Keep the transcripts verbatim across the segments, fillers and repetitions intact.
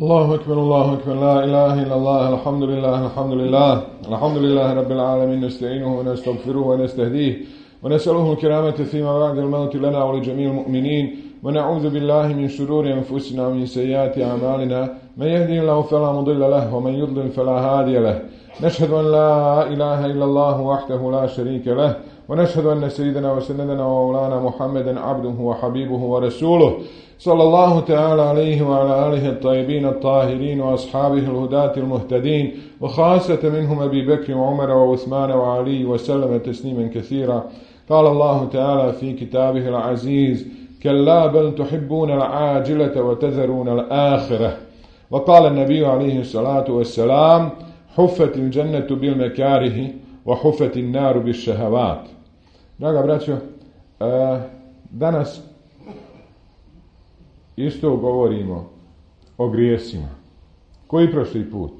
Allahu akbar, Allahu akbar, la ilaha illallah, alhamdulillah, alhamdulillah, alhamdulillah rabbil alamin, nasta'inuhu wa nastaghfiruhu wa nastahdihi wa nas'aluhu al-kiramata fima ba'da al-mawti lana wa li jami'il mu'minin wa na'udhu billahi min shururi anfusina wa min sayyiati a'malina man yahdihillahu fala mudilla lahu wa man yudlil fala hadiya lahu. Nashhadu an la ilaha illallah wahdahu la sharika lahu wa nashhadu anna sayyidana wa sayyidana wa mawlana Muhammadan 'abduhu wa habibuhu wa rasuluhu صلى الله تعالى عليه وعلى آله الطيبين الطاهرين وأصحابه الهداة المهتدين وخاصة منهم أبي بكر وعمر وعثمان وعلي وسلم تسليما كثيرا. قال الله تعالى في كتابه العزيز: كلا بل تحبون العاجلة وتذرون الآخرة. وقال النبي عليه الصلاة والسلام: حفت الجنة بالمكاره وحفت النار بالشهوات. Draga braćo, danas isto govorimo o grijesima, koji prošli put.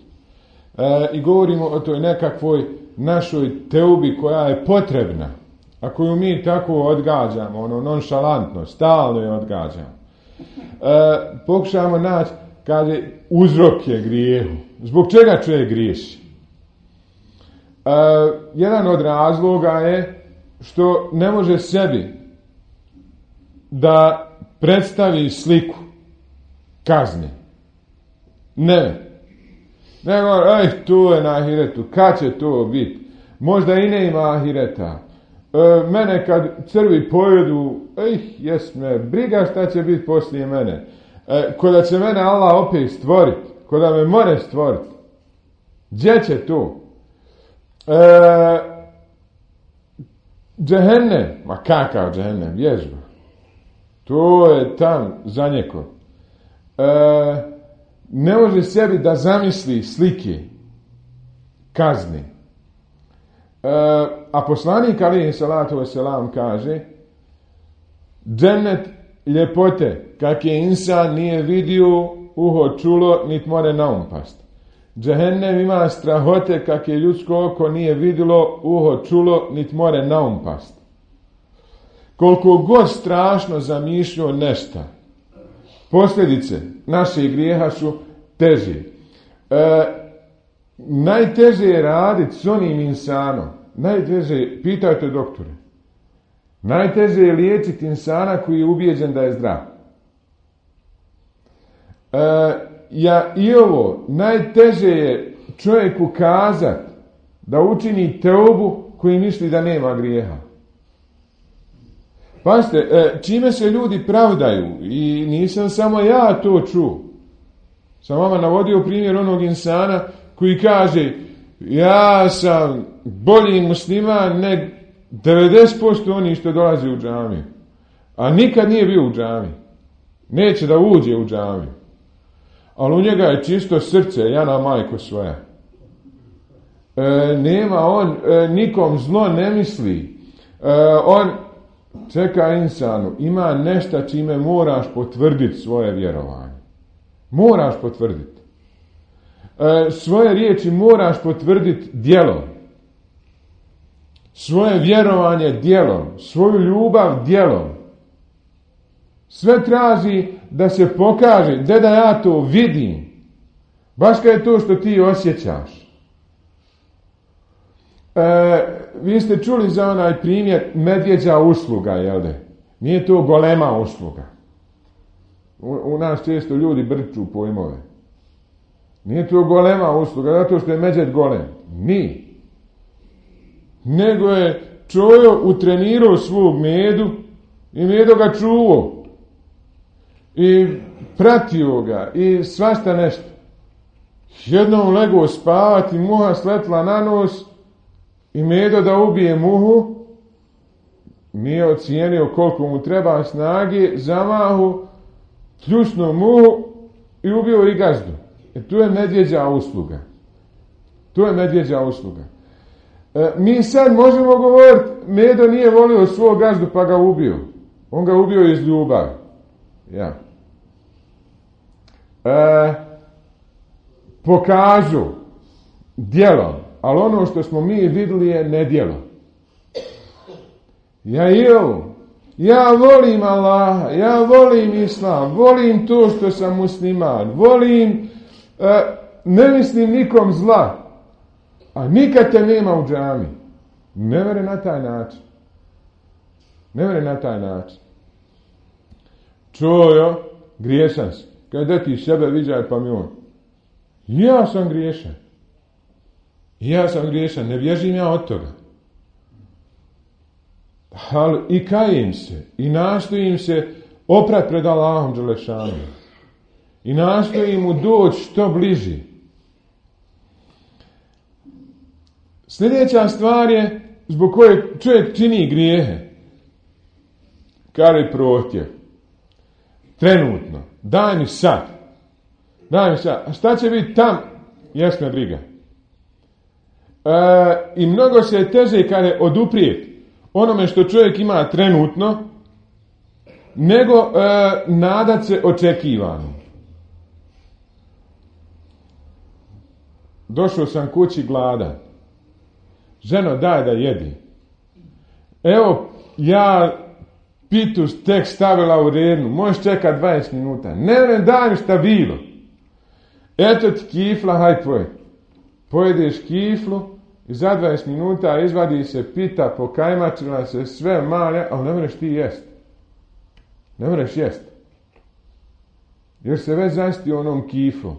E, I govorimo o toj nekakvoj našoj teubi koja je potrebna, a koju mi tako odgađamo, ono nonšalantno, stalno je odgađamo. E, pokušamo naći, kaže, uzrok je grijehu. Zbog čega čovjek griješi? E, jedan od razloga je što ne može sebi da predstavi sliku kazne. Ne. Nego, ej, tu je na ahiretu. Kad će to biti? Možda i ne ima ahireta. E, mene kad crvi pojedu, ej, jes me, briga šta će biti poslije mene. E, koda će mene Allah opet stvoriti. Koda me more stvoriti. Gdje će to? E, džehennem. Ma kakav džehennem? Vježba. To je tam za neko. E, ne može sebi da zamisli slike kazne. E, a poslanik alejhi salatu vesselam kaže: džennet ljepote kak je insan nije vidio, uho čulo, nit more naumpast. Džehennem ima strahote kak je ljudsko oko nije vidjelo, uho čulo, nit more naumpast. Koliko god strašno zamišljao nešto, posljedice naših grijeha su teže. E, najteže je raditi s onim insanom. Najteže, pitajte doktore, najteže je liječiti insana koji je ubijeđen da je zdrav. E, ja i ovo, najteže je čovjeku kazati da učini teubu koji misli da nema grijeha. Pazite, čime se ljudi pravdaju, i nisam samo ja to čuo. Sam vama navodio primjer onog insana koji kaže: ja sam bolji musliman nek devedeset posto oni što dolazi u džamiju. A nikad nije bio u džamiji. Neće da uđe u džamiju. Ali u njega je čisto srce, jana majko svoja. E, nema on, e, nikom zlo ne misli. E, on čeka insanu, ima nešto čime moraš potvrditi svoje vjerovanje. Moraš potvrditi. E, svoje riječi moraš potvrditi djelom. Svoje vjerovanje djelom. Svoju ljubav djelom. Sve traži da se pokaže, da da ja to vidim. Baš kao je to što ti osjećaš. E, vi ste čuli za onaj primjer medvjeđa usluga, jel de? Nije to golema usluga. U, u nas često ljudi brču pojmove. Nije to golema usluga, zato što je medvjed golem. Nije. Nego je čojo utrenirao svog medu i medo ga čuvao. I pratio ga i svašta nešto. Jednom legao spavati, muha sletla na nos i medo da ubije muhu, nije ocijenio koliko mu treba snage, zamahu, pljusnuo muhu i ubio i gazdu. E, tu je medvjeđa usluga. Tu je medvjeđa usluga. E, mi sad možemo govoriti, medo nije volio svog gazdu pa ga ubio. On ga ubio iz ljubavi. Ja. E, pokažu djelom, ali ono što smo mi vidjeli je nedjelo. Ja i ovo, Ja volim Allaha, ja volim Islam, volim to što sam musliman, volim, e, ne mislim nikom zla, a nikad te nema u džami. Ne vere na taj način. Ne vere na taj način. Čujo, griješan si. Kada ti sebe viđaj pa mi on. Ja sam griješan. Ja sam griješan, ne bježim ja od toga. Ali i kajem se, i nastojim se oprat pred Allahom dželešanom. I nastojim mu doći što bliži. Sljedeća stvar je zbog koje čovjek čini grijehe. Kaže prohtjev. Trenutno. Daj mi sad. Daj mi sad. A šta će biti tam? Jasna briga. E, I mnogo se je teže kaže oduprijeti onome što čovjek ima trenutno, nego e, nadat se očekivanom. Došao sam kući gladan. Ženo, daj da jedi. Evo, ja pitu tek stavila u rednu. Možeš čekati dvadeset minuta. Ne, ne, daj mi šta bilo. Eto ti kifla, haj tvoj. Pojedeš kiflu i za dvadeset minuta izvadi se pita, pokajmačila se sve malje, ali ne možeš ti jest. Ne možeš jest. Jer se već zasti onom kiflom.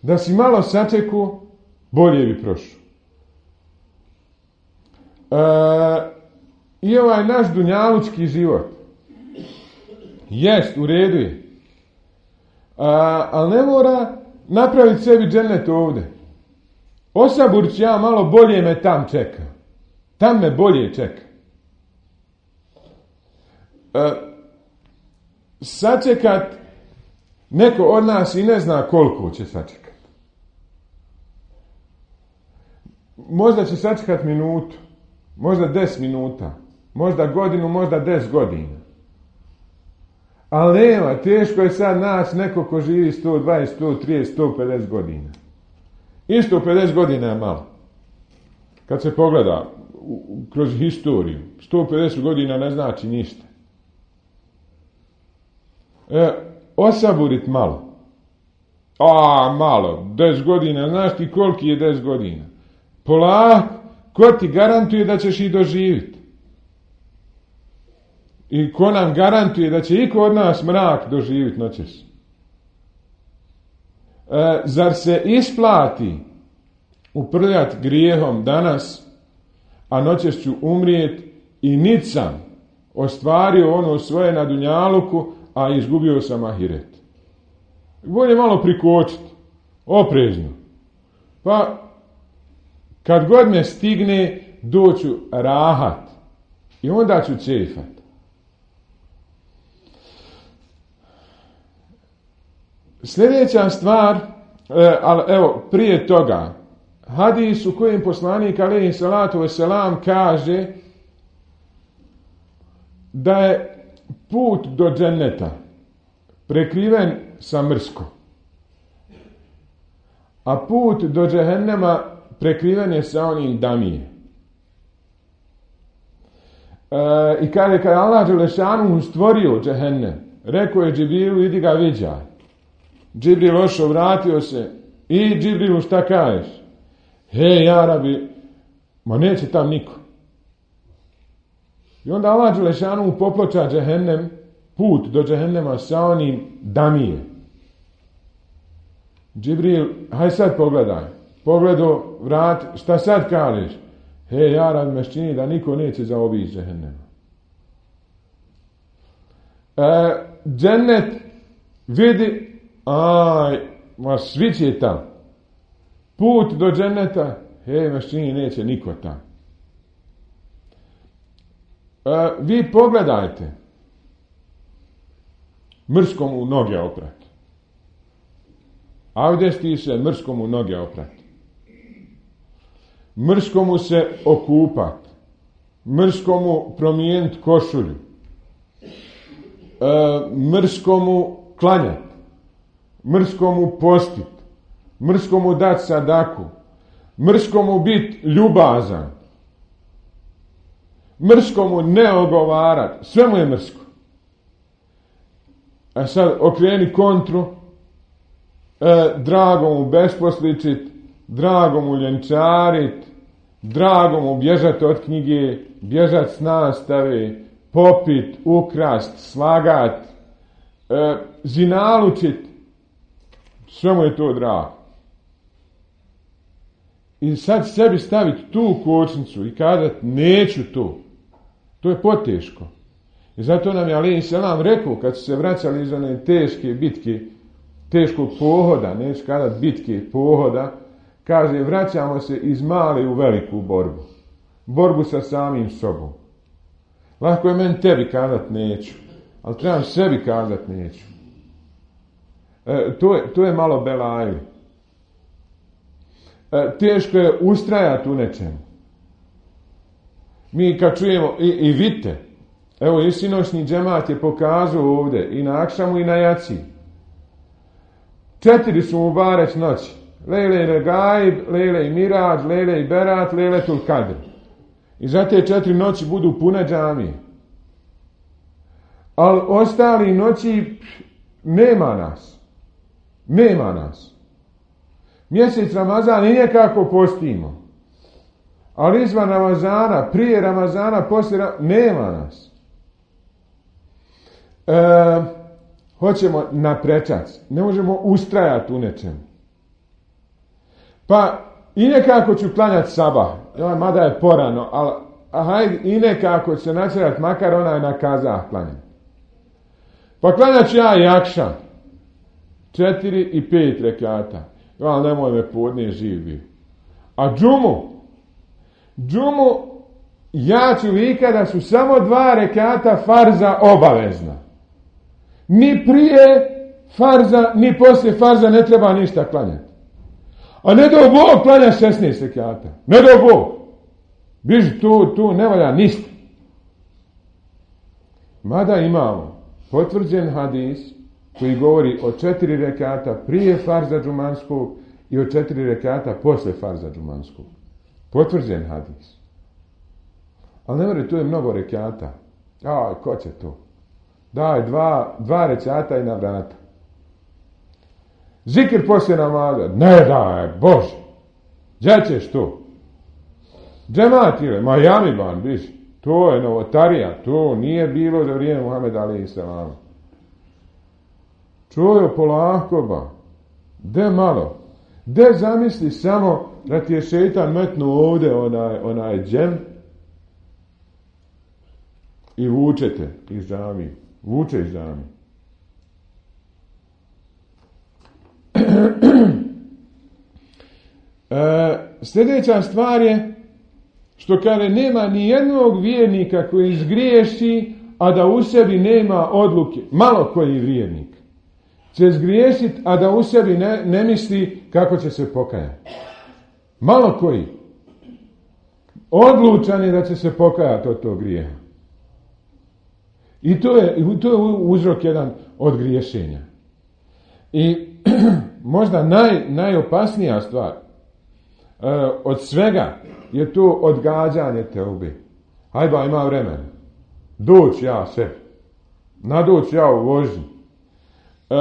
Da si malo sačeku, bolje bi prošao. E, I ovaj naš dunjalučki život jest, u redu je. A, ali ne mora napraviti sebi džennet ovdje. Osaburć ja malo bolje me tam čeka. Tam me bolje čeka. E, sačekat neko od nas i ne zna koliko će sačekat. Možda će sačekat minutu, možda deset minuta, možda godinu, možda deset godina. Ali nema, teško je sad naći neko ko živi sto dvadeset, sto trideset, sto pedeset godina. I sto pedeset godina je malo. Kad se pogleda kroz historiju, sto pedeset godina ne znači ništa. E, osaburit malo. A, malo, deset godina, znaš ti koliki je deset godina? Polako, ko ti garantuje da ćeš i doživjeti? I ko nam garantuje da će iko od nas mrak doživjeti noćas? E, zar se isplati uprljati grijehom danas, a noćas ću umrijeti i nit sam ostvario ono svoje na dunjaluku, a izgubio sam ahiret? Bolje malo prikočiti, oprezno. Pa, kad god me stigne, doću rahat i onda ću cefat. Sljedeća stvar, e, ali evo, prije toga, hadis u kojem poslanik alejhi salatu vesselam kaže da je put do dženneta prekriven sa mrskom, a put do džehennema prekriven je sa onim damije. E, I kaže, kada je Allah dželešanu stvorio džehennem, rekao je Džibrilu, idi ga viđaj. Džibril ošao, vratio se. I Džibrilu, šta kažeš? Hej, ja rabi, ma neće tam niko. I onda Allah dželešanu poploča džehennem, put do džehennema sa onim damije. Džibril, haj sad pogledaj. Pogledo, vrat, šta sad kažeš? Hej, ja rabi, me čini da niko neće zaobići džehennema. E, džennet vidi, aj, ma svi će tam. Put do dženneta, hej, mašini neće niko tam. E, vi pogledajte. Mrskom u noge oprat. Avdesti se, mrskom u noge oprat. Mrskom mu se okupat. Mrskom mu promijeniti košulju. E, mrskom mu klanjat. Mrskom mu postit. Mrskom mu dat sadaku. Mrskom mu bit ljubazan. mrsko mu ne ogovarati, sve mu je mrsko. A sad okreni kontru, e, drago mu besposličit, drago mu ljenčarit, drago mu bježat od knjige, bježat s nastave, popit, ukrast, slagat, e, zinalučit, sve mu je to drago. I sad sebi staviti tu kočnicu i kazati neću to, to je poteško. I zato nam je alejhi selam rekao, kad su se vraćali iz one teške bitke, teškog pohoda, neću kazati bitke, pohoda, kaže, vraćamo se iz male u veliku borbu. Borbu sa samim sobom. Lako je meni tebi kazati neću, ali trebam sebi kazati neću. E, to, je, to je malo belajli. E, teško je ustrajati u nečemu. Mi kad čujemo, i, i vidite, evo i sinoćni džemat je pokazao ovdje, i na akšamu i na jaci. Četiri su mu bareć noći. Lejle i Regaib, Lejle i Mirađ, Lejle i Berat, Lejle tul Kadr. I za te četiri noći budu pune džamije. Ali ostali noći nema nas. Nema nas. Mjesec Ramazan i nekako postimo. Ali izvan Ramazana, prije Ramazana, poslije Ramazana, nema nas. E, hoćemo na prečac. Ne možemo ustrajati u nečemu. Pa i nekako ću klanjati sabah. Mada je porano, ali hajde, i nekako će se načerati, makar ona je na kazah klanjati. Pa klanjat ću ja i akšam. Četiri i pet rekata. Ali nemoj me podnije živ bio. A džumu? Džumu ja ću vika da su samo dva rekata farza obavezna. Ni prije farza, ni poslije farza ne treba ništa klanjati. A ne do Bog klanja šesnaest rekata. Ne do Bog. Biži tu, tu ne valja ništa. Mada imamo potvrđen hadis koji govori o četiri rekata prije farza džumanskog i o četiri rekata posle farza džumanskog. Potvrđen hadis. Ali ne veri, tu je mnogo rekata. A, ko će to? Daj, dva, dva rekata i na vrata. Zikr poslije namaza. Ne daj, Bože. Gdje ćeš to? Džemat ili? Miami ban, biš. To je novotarija. To nije bilo za vrijeme Muhameda alejhi selam. Čujo polako ba. De malo. De zamisli samo da ti je šeitan metnuo ovdje onaj, onaj džem i vučete iz džamije. Vuče iz džamije. e, sljedeća stvar je što kaže nema ni jednog vjernika koji zgriješi, a da u sebi nema odluke. Malo koji vjernik će zgriješiti, a da u sebi ne, ne misli kako će se pokajati. Malo koji. Odlučan je da će se pokajati od tog grijeha. I to je, to je uzrok jedan od griješenja. I možda naj, najopasnija stvar e, od svega je to odgađanje teube. Hajba, ima vremena. Doći ja sebi. Nadoći ja u vožnji. E,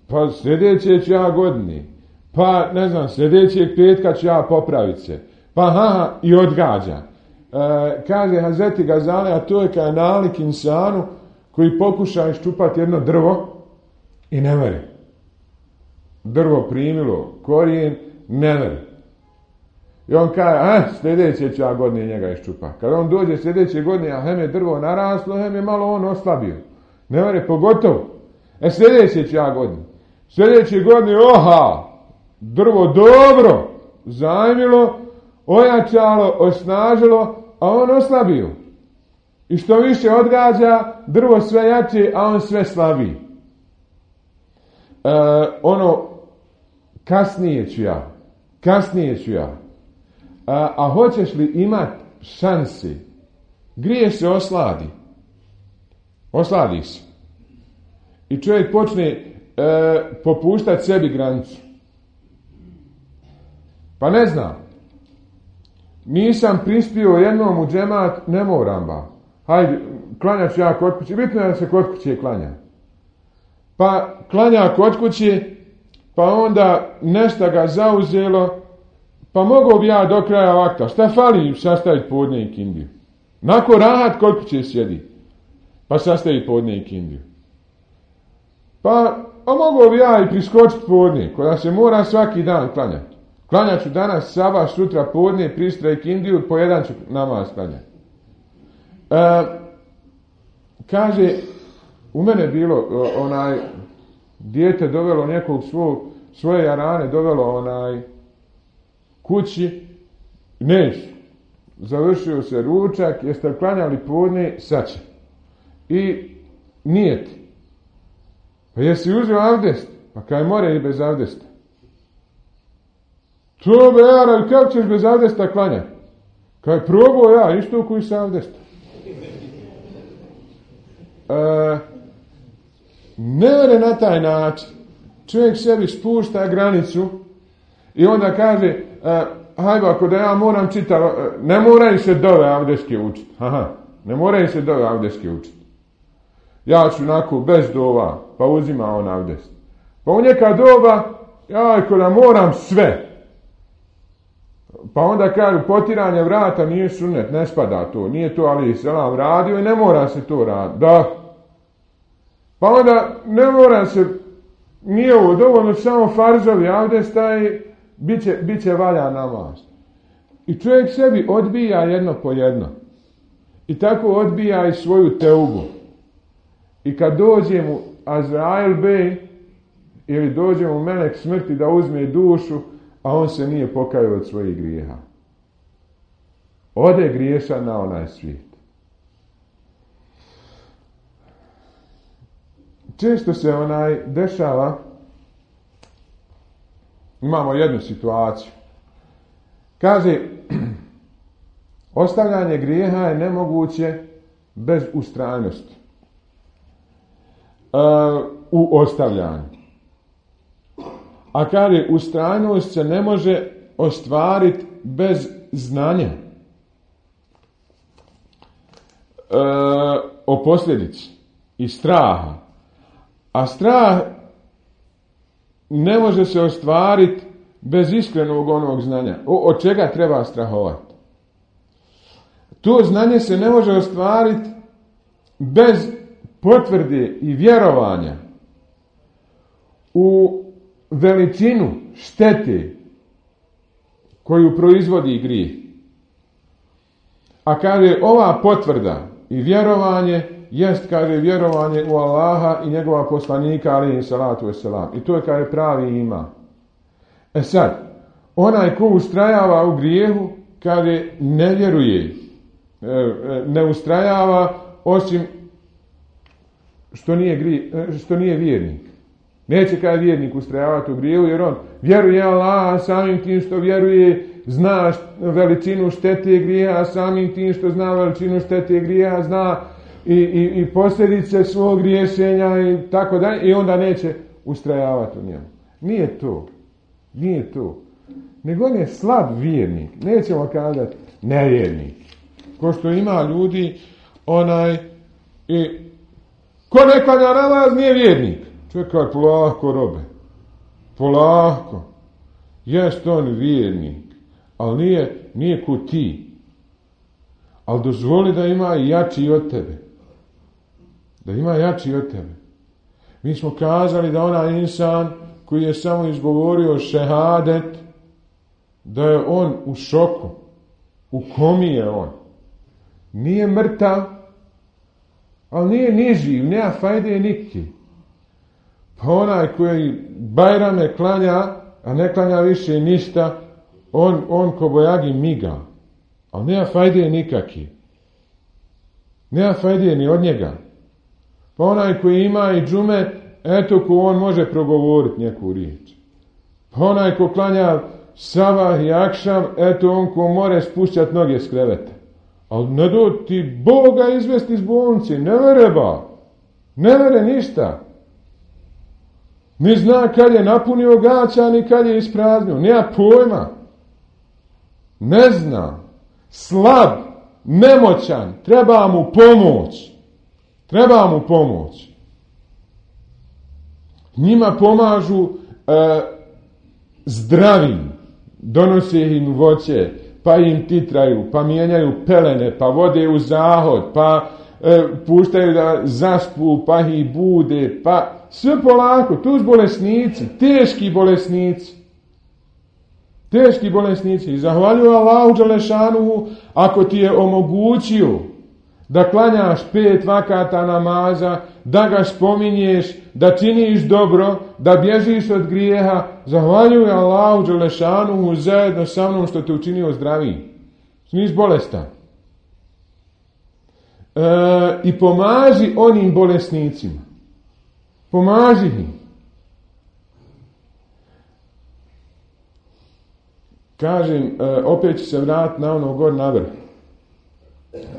pa sljedeće ću ja godini. Pa, ne znam, sljedećeg petka ću ja popraviti se. Pa, ha, i odgađa. E, kaže Hazreti Gazali, a to je kao nalik insanu koji pokuša iščupati jedno drvo i ne mere. Drvo primilo korijen, ne mere. I on kaže, a, sljedeće ću ja godine njega iščupa. Kad on dođe sljedeće godine, a hem je drvo naraslo, hem je malo on oslabio. Ne mere, pogotovo. E, sljedeće ću ja godine. Sljedeće godine, oha, drvo dobro zajmilo, ojačalo, osnažilo, a on oslabio. I što više odgađa, drvo sve jače, a on sve slabiji. E, ono, kasnije ću ja, kasnije ću ja. A, a hoćeš li imat šanse? Griješ se osladi. Osladi se. I čovjek počne e, popuštati sebi granicu. Pa ne znam. nisam prispio jednom u džemat, ne moram ba. Hajde, klanja ću ja kod kuće. Bitno je da se kod kuće klanja. Pa klanja kod kuće, pa onda nešto ga zauzelo, pa mogu bi ja do kraja vakta. Šta fali sastaviti podne i kindiju? Nako rahat kod kuće sjedi, pa sastavi podne i kindiju. Pa, a mogu bi ja i priskočiti podne, koja se mora svaki dan klanjati. Klanjat ću danas sabah, sutra podne, pristra i kindiju, po jedan ću namaz klanjati. E, kaže, u mene bilo onaj dijete dovelo nekog svog, svoje jarane, dovelo onaj kući, neću. Završio se ručak, jeste klanjali podne, sad će. I nijet. Pa jesi uzeo avdest? Pa kaj more i bez avdesta. To be, ali kako ćeš bez avdesta klanjati? Kaj probao ja, isto koji sa avdesta. E, ne vere na taj način. Čovjek sebi spušta granicu i onda kaže, e, hajde, ako da ja moram čitati, ne moraju se dove avdeske učiti. Aha, ne moraju se dove avdeske učiti. Ja ću onako bez dova, pa uzima on avdest. Pa u neka doba, ja ako da moram sve. Pa onda kažu, potiranje vrata nije sunnet, ne spada to. Nije to ali selam radio i ne mora se to raditi. Da. Pa onda ne mora se, nije ovo dovoljno, samo farzovi avdesta i bit će, bit će valja namaz. I čovjek sebi odbija jedno po jedno. I tako odbija i svoju teubu. I kad dođe mu Azrail bej, ili dođe mu melek smrti da uzme dušu, a on se nije pokajao od svojih grijeha. Ode griješan na onaj svijet. Često se onaj dešava, imamo jednu situaciju. Kaže, ostavljanje grijeha je nemoguće bez ustrajnosti. Uh, u ostavljanju. A kaže, ustrajnost se ne može ostvariti bez znanja. E, o posljedici i straha. A strah ne može se ostvariti bez iskrenog onog znanja. O, od čega treba strahovati? To znanje se ne može ostvariti bez potvrde i vjerovanja u veličinu štete koju proizvodi grijeh. A kaže, ova potvrda i vjerovanje jest, kaže, vjerovanje u Allaha i njegova poslanika, alejhi salatu vesselam. I to je, kaže, pravi ima. E sad, onaj ko ustrajava u grijehu, kaže, ne vjeruje, ne ustrajava osim što nije, grije, što nije vjernik. Neće kada vjernik ustrajavati u grijehu, jer on vjeruje Allah, a samim tim što vjeruje, zna veličinu štete grijeha, a samim tim što zna veličinu štete grijeha, zna i, i, i posljedice svog griješenja i tako dalje, i onda neće ustrajavati u njemu. Nije to. Nije to. Nego on je slab vjernik. Nećemo kazati nevjernik. Ko što ima ljudi, onaj, i ko ne klanja namaz nije vjernik. Čekaj, polako robe. Polako. Jest on vjernik. Ali nije, nije ko ti. Ali dozvoli da ima i jači od tebe. Da ima jači od tebe. Mi smo kazali da onaj insan koji je samo izgovorio šehadet, da je on u šoku. U komi je on. Nije mrtav, ali nije ni živ, nema fajde niki. Pa onaj koji bajrame klanja, a ne klanja više ništa, on, on ko bojagi miga. Ali nema fajde nikaki. Nema fajde ni od njega. Pa onaj koji ima i džume, eto ko on može progovoriti neku riječ. Pa onaj ko klanja sabah i akšam, eto on ko more spušćati noge s kreveta. Ali ne do ti Boga izvesti iz bolnice, ne vere ba. Ne vere ništa. Ni zna kad je napunio gaća, ni kad je ispraznio. Nema pojma. Ne zna. slab, nemoćan, treba mu pomoć. Treba mu pomoć. Njima pomažu e, zdravim, donose im voće, pa im titraju, pa mijenjaju pelene, pa vode u zahod, pa e, puštaju da zaspu, pa ih bude, pa sve polako, tu su bolesnici, teški bolesnici. Teški bolesnici. I zahvaljuju Allahu dželešanuhu ako ti je omogućio da klanjaš pet vakata namaza, da ga spominješ, da činiš dobro, da bježiš od grijeha, zahvaljuj Allahu dželešanuhu zajedno sa mnom što te učinio zdraviji. Nisi bolestan. E, I pomaži onim bolesnicima. Pomaži im. Kažem, e, opet ću se vratiti na ono gor na vrh.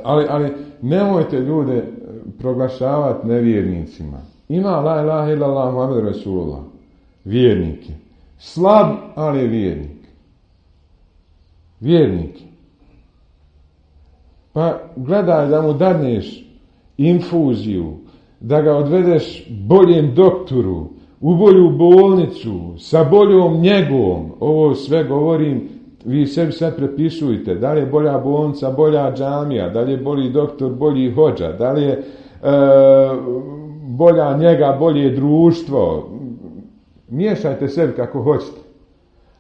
Ali, ali nemojte ljude proglašavati nevjernicima. Ima la ilaha illallah Muhammed Rasulullah. Vjernik je. Slab, ali je vjernik. Vjernik. Pa gledaj da mu dadneš infuziju, da ga odvedeš boljem doktoru, u bolju bolnicu, sa boljom njegom. Ovo sve govorim, vi sebi sad prepisujte. Da li je bolja bolnica, bolja džamija, da li je bolji doktor, bolji hođa, da li je e, bolja njega, bolje društvo. Miješajte sebi kako hoćete.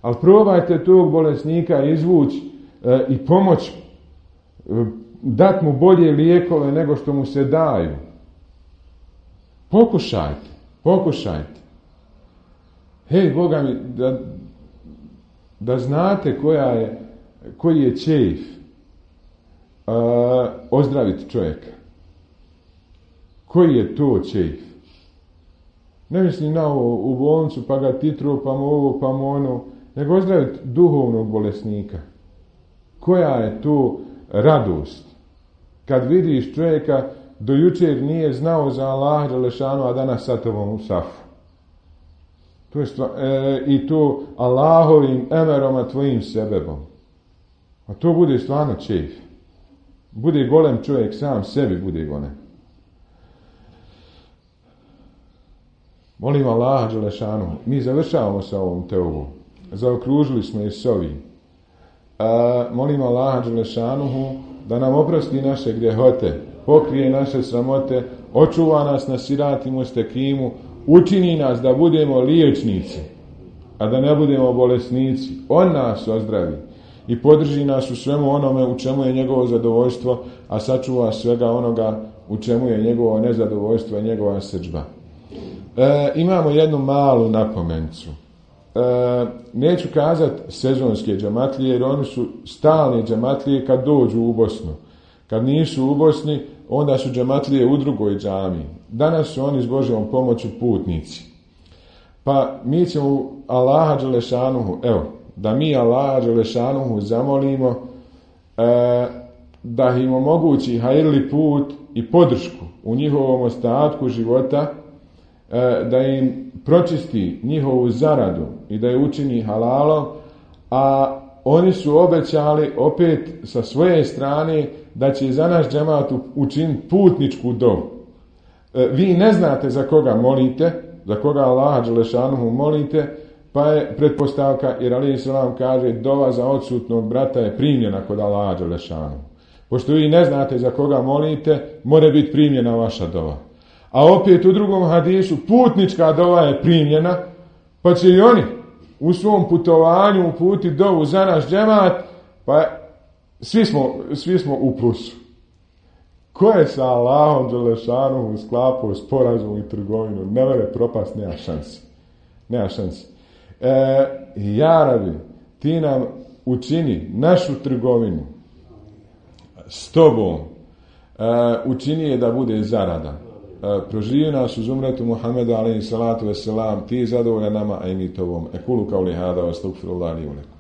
Ali probajte tog bolesnika izvući e, i pomoći, e, dati mu bolje lijekove nego što mu se daju. Pokušajte, pokušajte. Hej, Boga mi, da, da znate koja je, koji je čejf uh, ozdraviti čovjeka. Koji je to čejf? Ne mislim na ovo u bolnicu, pa ga titru, pa mu ovo, pa mu ono, nego ozdraviti duhovnog bolesnika. Koja je to radost? Kad vidiš čovjeka, do jučer nije znao za Allaha dželešanu, a danas sa tobom u safu. To je stvar, e, i to Allahovim emerom, a tvojim sebebom. A to bude stvarno čejf. Bude golem čovjek, sam sebi bude golem. Molim Allaha dželešanu, mi završavamo sa ovom teovom. Zaokružili smo je s ovim. E, molim Allaha dželešanuhu da nam oprosti naše grjehote, pokrije naše sramote, očuva nas na sirati mustekimu, učini nas da budemo liječnici, a da ne budemo bolesnici. On nas ozdravi i podrži nas u svemu onome u čemu je njegovo zadovoljstvo, a sačuva svega onoga u čemu je njegovo nezadovoljstvo i njegova srdžba. E, imamo jednu malu napomencu. E, neću kazati sezonske džematlije, jer oni su stalne džematlije kad dođu u Bosnu. Kad nisu u Bosni, onda su džematlije u drugoj džamiji. Danas su oni s Božjom pomoću putnici. Pa mi ćemo Allaha dželešanuhu, evo, da mi Allaha dželešanuhu zamolimo e, da im omogući hajrli put i podršku u njihovom ostatku života, e, da im pročisti njihovu zaradu i da je učini halalom, a oni su obećali opet sa svoje strane da će za naš džemat učiniti putničku dovu. E, vi ne znate za koga molite, za koga Allaha dželešanuhu molite, pa je pretpostavka, jer alejhi selam kaže, dova za odsutnog brata je primljena kod Allaha dželešanuhu. Pošto vi ne znate za koga molite, mora biti primljena vaša dova. A opet u drugom hadisu, putnička dova je primljena, pa će i oni u svom putovanju uputiti dovu za naš džemat, pa svi smo, svi smo u plusu. Ko je sa Allahom dželešanuhu sklapao sporazum i trgovinu, ne mere propast, nema šansi. Nema šansi. E, ja rabi, ti nam učini našu trgovinu s tobom, e, učini je da bude zarada. E, proživi nas uz umretu Muhammeda alejhi salatu vesselam, ti zadovoljan nama, a i mi tobom. Ekulu kao li hada, astagfirullah li ulek.